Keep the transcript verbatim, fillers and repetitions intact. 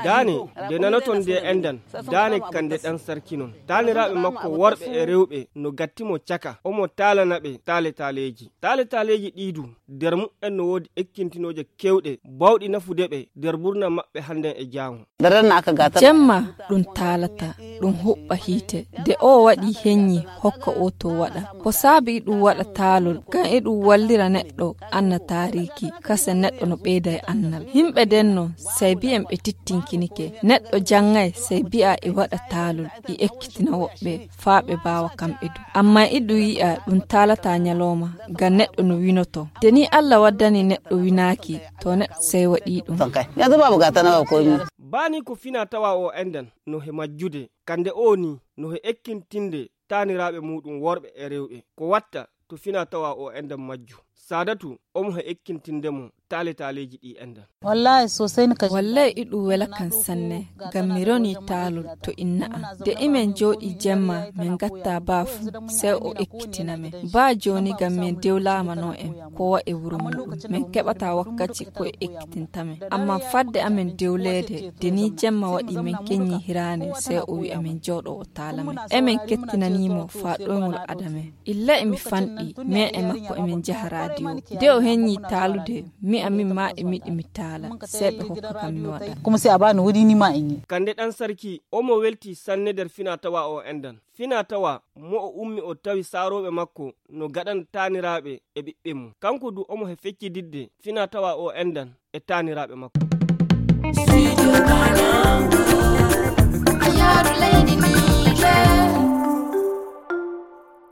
Daane, nde nanoton nde enɗan, daane kande ɗan sarki non. Taaniraaɓe makko worɓe e rewɓe no gatti mo caka, omo taalana ɓe taale-taaleeji. Taale-taaleeji ɗii du, der muɓɓen no woodi ekkintinooje kewɗe, bawɗi nafude ɓe der burna maɓɓe hannden e jaango. Jemma ɗum taalata, ɗum huɓɓa hiite. De o waɗi henyi hokka o to waɗa. Ko saabi iɗum waɗa taalol, ngam iɗum wallira neɗɗo anna taariiki, kase neɗɗo no ɓeyda e annal. Himɓe den no, sey bi'en ɓe tittinkinike. Neɗɗo janŋay, sey bi'a e waɗa taalol, e ekkitina woɓɓe, faa ɓe baawa kamɓe du. Amma iɗum yi'a ɗum taalata nyalooma, ngam neɗɗo no winoto. De ni Alla waddani neɗɗo winaaki, to neɗɗo sey waɗi ɗum. Baa ni ko fina tawa o enɗan no he majjude, kande o ni no he ekkintinde taaniraaɓe muuɗum worɓe e rewɓe. Ko watta to fina tawa o enɗan majju. Saadatu omo he ekkintinde mo taale-taaleeji ɗi enɗan. Wallay, iɗum wela kan sanne, ngam mi roni taalol to inna am. De imen jooɗi jemma, min gatta baa fu, sey o ekkitina men. Baa jooni ngam min dewlaama no en, ko wa e wuro muuɗum. Min keɓata wakkaci ko e ekkitinta men. Amma fadde amen dewleede, de ni jemma waɗi min kenyi hiraane, sey o wi'a min jooɗo o taala men. Emin kettinanii mo faa ɗoyngol ada men. Illa emi fanɗi, min e makko emin njaha raadiyo. De o henyi taalude, mi amin ma e miɗi mi taala, sey ɓe hokka kam mi waɗa. Kande ɗan sarki, omo welti sanne der fina tawa o enɗan. Fina tawa mo o ummi o tawi saarooɓe makko no gaɗan taaniraaɓe e ɓiɓɓe mum. Kanko du omo he feccididde fina tawa o enɗan e taaniraaɓe makko.